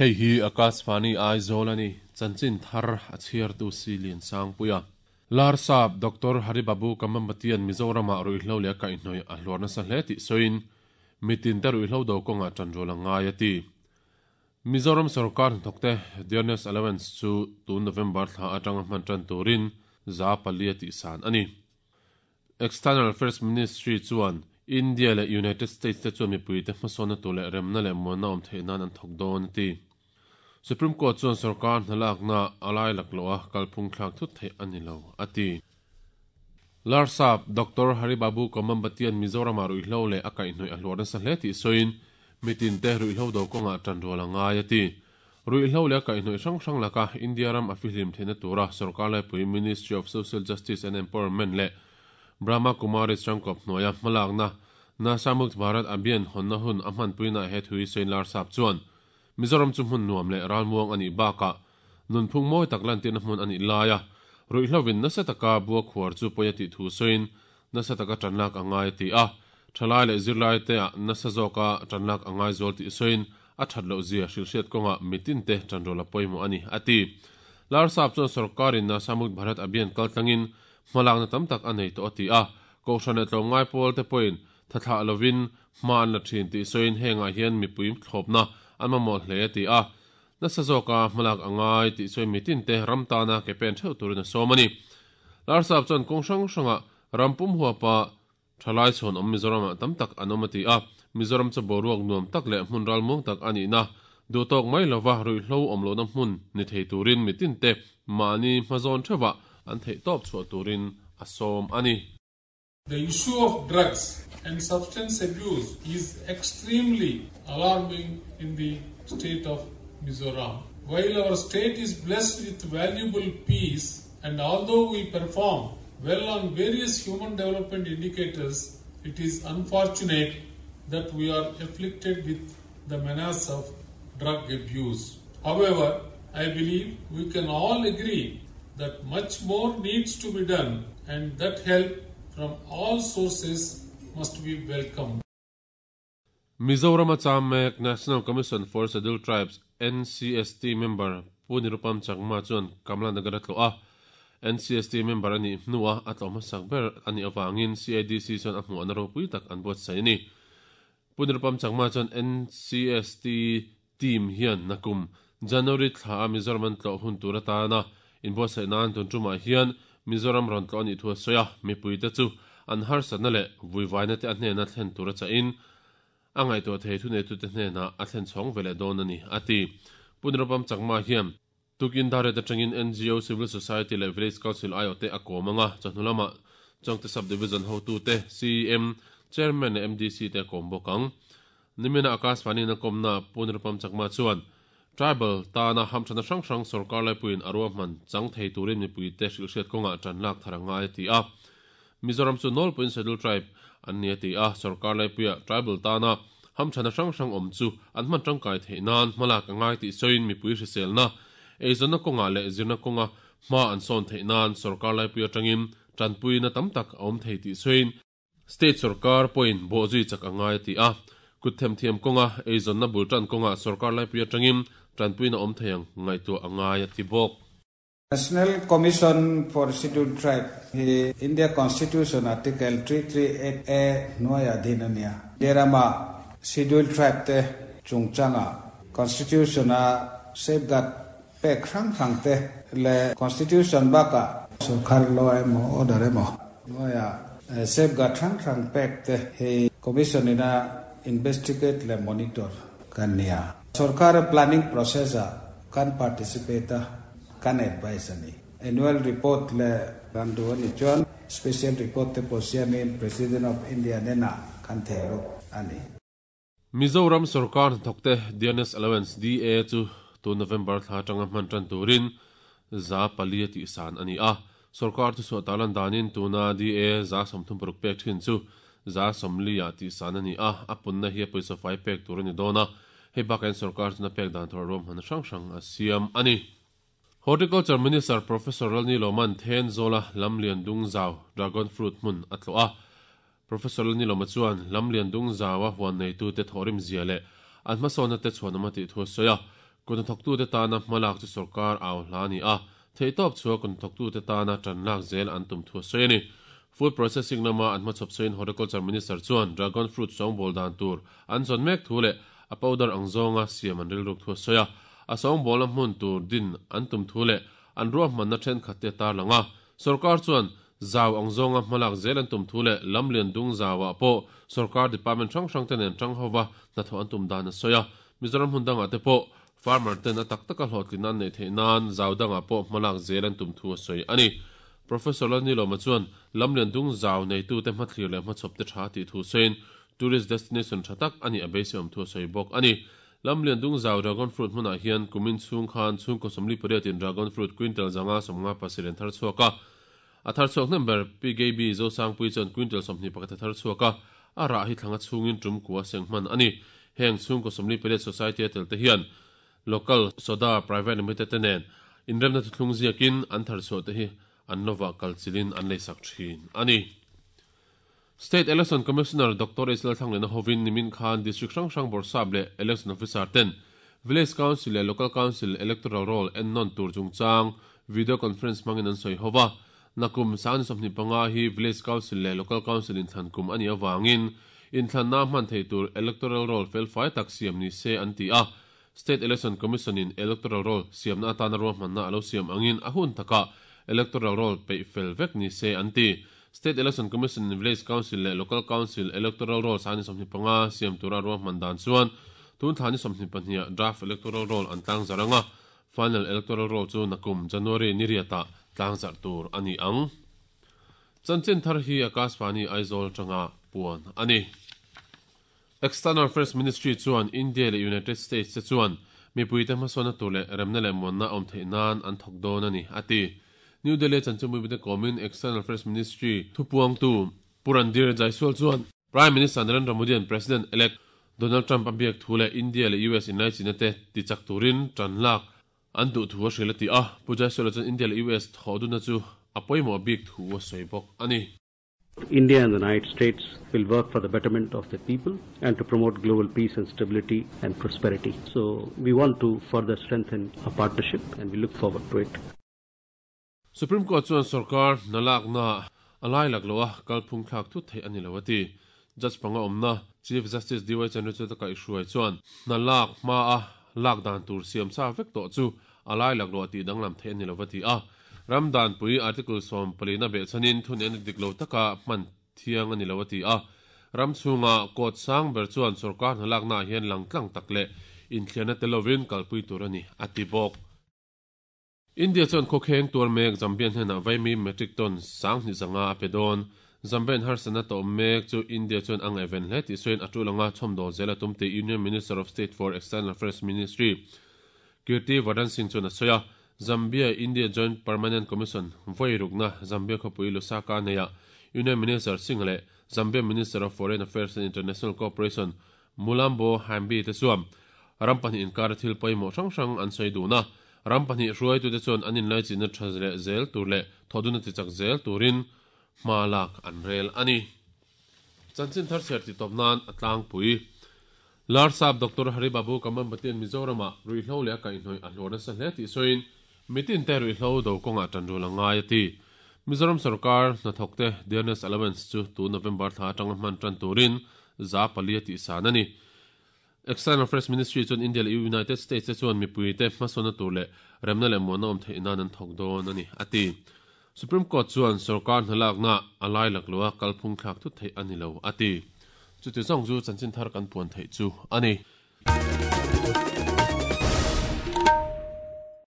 Hei hi Akashvani Aizawl a ni, chanchin thar a chhiartu si Liansangpuia. Larsap Doctor Haribabu Kambhampatian Mizoramah ruihhlo leh a kaihhnawih a hluar nasa hle tih sawiin, mitin te ruihhlo do kawngah tanrual a ngai a ti. Mizoram sorkar hnathawkte Dearness Allowance chu tun November thla atanga hman tan turin 400 tihsan a ni. External Affairs Ministry chuan India leh United States te chuan mipuite hmasawnna tur leh remna leh muanna awm theih nan an thawk dawn a ti. Supreme Court chuan sorkar hnalakna a lai lak loh a kalphung thlak thut theih a ni lo a ti. Larsap Doctor Haribabu Kambhampatian Mizoramah ruihhlo leh a kaihhnawih a hluar nasa hle tih sawiin mitinte ruihhlo do kawngah tanrual a ngai a ti. Ruihhlo leh a kaihhnawih hrang hrang laka India ram a fihlim theihna tura sorkar laipui Ministry of Social Justice and Empowerment leh Brahma Kumaris rangkawp hnuaia hmalakna Nasha Mukt Bharat Abhiyan hawnna hun a hmanpuinaah he thu hi sawiin Larsap chuan Mizoram chu hmun nuam leh ralmuang a nih bakah nunphung mawi tak lantirna hmun a nih laia ruihhlovin nasa taka bua khuar chu pawi a tih thu sawiin nasa taka tanlak a ngai a ti a. Thalai leh zirlaite ah nasa zawka tanlak a ngai zual tih sawiin a that loh zia hrilhhriat kawngah mitinte tanrual a pawimawh a ni, a ti. Larsap chuan sorkarin Nasha Mukt Bharat Abhiyan kaltlangin hmalakna tam tak a nei tawh a ti a. Kohhran leh tlawmngai pawlte pawhin thathlah lovin hma an la thin tih sawiin hengah hian mipui thlawpna an mamawh hle a ti a. Nasa zawka hmalak a ngai tih sawiin mitinte ram tana ke pen theuh turin a sawm a ni. Larsap chuan kawng hrang hrangah ram pum huapa Thalai chhawn awm Mizoramah tam tak an awm a ti a, Mizoram chu boruak nuam tak leh hmun ralmuang tak a nihna, duhtawk mai lova ruihhlo awm lohna hmun ni thei turin mitinte mahni hmazawn theuhah an theihtawp chhuah turin a sawm a ni. The issue of drugs and substance abuse is extremely alarming in the state of Mizoram. While our state is blessed with valuable peace and although we perform well on various human development indicators, it is unfortunate that we are afflicted with the menace of drug abuse. However, I believe we can all agree that much more needs to be done and that help from all sources must be welcomed. Mizoram-a cham mek National Commission for Scheduled Tribes, NCST, member Pu Nirupam Chakma chuan Kamla Nagar a tlawh a. NCST member a nih hnua a tlawh hmasak ber a nih avangin CIDC chuan a hmuhna ropui tak an buatsaih a ni. Pu Nirupam Chakma chuan NCST team hian nakum January thla a Mizoram an tlawh hun tur atana inbuatsaih nan tun tumah hian Mizoram rawn tlawh a nih thu a sawi a, mipuite chu an harsatna leh vuivaina te a hnena thlen tur a chahin a ngaihtuah thei thuneitute hnenah a thlen chhawng ve leh dawn a ni, a ti. Pu Nirupam Chakma hian tukin Darret atangin ngo, Civil Society leh Village Council aiawhte a kawm ang a, chawhnu lamah Chawngte Sub-Division hotute, CEM, Chairman leh MDC te a kawm bawk ang. Nimina Akashvani in a kawmna Pu Nirupam Chakma chuan Tribal tana hamthana hrang hrang sorkar laipuiin a ruahman chang thei turin mipuite hrilhhriat kawngah tan lak thar a ngai a ti a. Mizoram chu nawlpuiin Scheduled Tribe an ni a ti a, sorkar laipuia Tribal tana hamthana hrang hrang awm chu an hman tangkai theih nan hmalak a ngai tih sawiin mipui hriselna, eizawnna kawngah leh zirna kawnga hma an sawn theih nan sorkar laipui atangin tanpuina tam tak a awm thei tih sawiin, State sorkar pawhin bawhzui chak a ngai a ti a, kut themthiam kawnga eizawnna bul tan kawngah sorkar laipui atangin tanpuina awm thei ang ngaihtuah a ngai a ti bawk. National Commission for Scheduled Tribe hi India Constitution Article 338A hnuaiah din a nia. India rama Scheduled Tribe te chungchanga Constitution-a safeguard pek hrang hrang te leh Constitution bakah sorkar law emaw order emaw hnuaiah safeguard hrang hrang pek te hi Commission ina investigate leh monitor kan nia. Sorkar planning process ah kan participate a, kan advise a ni. Annual report leh kan duh a nih chuan special report te pawh siamin President of India hnenah kan theh lut a ni. Mizoram sorkar hnathawkte Dearness Allowance, DA, chu tun November thla atanga hman tan turin 400 a tihsan a ni a. Sorkar thuchhuah tarlan danin tuna DA 36 pek thin chu 40 ah tihsan a ni a, a punna hi a pawisa fai pek tur a ni dawn a. Hei bakah hian sorkar chuna pek dan tur ruahmanna hrang hrang a siam a ni. Horticulture Minister Professor Lalni Lawman Thenzawla Lamlian Dungzau Dragon Fruit hmun a tlawh a. Professor Lalnilawma chuan Lamlian Dungzaua huan neitute thawhrim zia leh an hmasawnna te chhuanawm a tih thu a sawi a. Kuthnathawktute tana hmalak chu sorkar au hla a ni a, theihtawp chhuah kuthnathawktute tana tan lak zel an tum thu a sawi a ni. Food processing lama an hmachhawp sawiin Horticulture Minister chuan dragon fruit sawngbawl dan tur an zawn mek thu leh a powder ang zawnga siam an rilruk thu a sawi a. A sawngbawlna hmun tur din an tum thu leh an ruahmanna thenkhat te a tarlang a. Sorkar chuan zau ang zawnga hmalak zel an tum thu leh lam lian dung zauah pawh sorkar department hrang hrang te nen tang hova hnathawh an tum dan a sawi a. Mizoram hmun dangah te pawh farmer ten a tak taka hlawhtlinna an neih theih nan zau dangah pawh hmalak zel an tum thu a sawi a ni. Professor Lalnilawma chuan lam lian dung zau neitute hmathlir leh hmachhawp te tha tih thu sawiin tourist destination tha tak a nih a beiseiawm thu a sawi bawk a ni. Lam lian dung zau dragon fruit hmunah hian kumin chhung khan chhungkaw 48 in dragon fruit quintal 557 an thar chhuak a. A thar chhuak hnem ber Pi Gaby Zosangpui chuan quintal 21 a thar chhuak a, a rah hi thlanga chhungin tum kua seng hman a ni. Heng chhungkaw 48 society a tel te hian Local Soda Private Limited te nen inremna thuthlung ziakin an thar chhuah te hi an lovah kalchilhin an leisak thin a ni. State Election Commissioner Doctor H Lalthlanglena hovin nimin khan District hrang hrang bawrhsap leh Election Officer ten Village Council leh Local Council Electoral Roll ennawn tur chungchang Video Conference hmangin an sawi ho va. Nakum sangni 25 hi Village Council leh Local Council inthlan kum a nih avangin inthlanna hman theih tur Electoral Roll felfai tak siam ni se an ti a. State Election Commission in Electoral Roll siamna atana ruahmanna a lo siam angin a hun takah Electoral Roll peih fel vek ni se an ti. State Election Commission in Village Council leh Local Council Electoral Roll sani 25 siam tura ruahman dan chuan tun thla ni 22 ah Draft Electoral Roll an tlangzarh ang a, Final Electoral Roll chu nakum January ni riatah tlangzarh tur a ni ang. Chanchin thar hi Akashvani Aizawl atanga puan a ni. External Affairs Ministry chuan India leh United States te chuan mipuite hmasawnna tur leh remna leh muanna awm theih nan an thawk dawn a ni, a ti. New Delhi-a chanchinbuibute kawmin External Affairs Ministry thupuangtu Pu Randhir Jaiswal chuan Prime Minister Narendra Modi-a'n President-elect Donald Trump a biak thu leh India leh US inlaichinna te tichak turin tan lak an duh thu a hrilh a ti a. Pu Jaiswal-a chuan India leh US thawh dunna chu a pawimawh bik thu a sawi bawk a ni. India and the United States will work for the betterment of the people and to promote global peace and stability and prosperity. So we want to further strengthen our partnership and we look forward to it. Supreme Court chuan sorkar hna lakna a lai lak loh a, kalphung thlak thut theih a ni lo a ti. Judge panga awmna Chief Justice DY Chandrachud a kaihhruai chuan hna lak hma a lak dan tur siam sa vek tawh chu a lai lak loh a tih danglam theih a ni lo a ti a. Ram danpui Article 14 a behchhanin thunena dik lo taka hman thiang a ni lo a ti a. Ram chhunga court sang ber chuan sorkar hna laknaah hian langtlang tak leh inthliarna tel lovin kalpui tur a ni a ti bawk. India chuan khawkheng tuar mek Zambian hnenah vaimi metric ton 2500 a pe dawn. Zambian harsatna tawh mek chu India chuan a ngaihven hle tih sawiin a tul anga chhawmdawl zel a tum tih Union Minister of State for External Affairs Ministry Kirti Vardhan Singh chuan a sawi a. Zambia India Joint Permanent Commission vawi rukna Zambia khawpui Lusaka neihah Union Minister Singh leh Zambia Minister of Foreign Affairs and International Cooperation Mulambo Haimbi te chuan ram pahnih inkara thil pawimawh hrang hrang an sawi dun a. Ram pahnih hruaitute chuan an inlaichinna tha leh zel tur leh thawhduna tichak zel turin hma lak an rel a ni. Chanchin thar chhiar titawp nan a tlangpui. Larsap Doctor Hari Babu Kamambatian Mizoramah ruihhlo leh a kaihhnawih a hluar nasa hle tih sawiin mitinte ruihhlo do kawngah tanrul a ngai a ti. Mizoram sorkar hnathawkte Dearness Allowance chu tun November thla atanga hman tan turin 400 a tihsan a ni. External Affairs Ministry chuan India leh United States te chuan mipuite hmasawnna tur leh remna leh muanna awm theih nan an thawk dawn a ni, a ti. Supreme Court chuan sorkar hnalakna a lai lak loha kalphung thlak thut theih a ni lo, a ti. Chuti zawng chu chanchin thar kan puan theih chu a ni.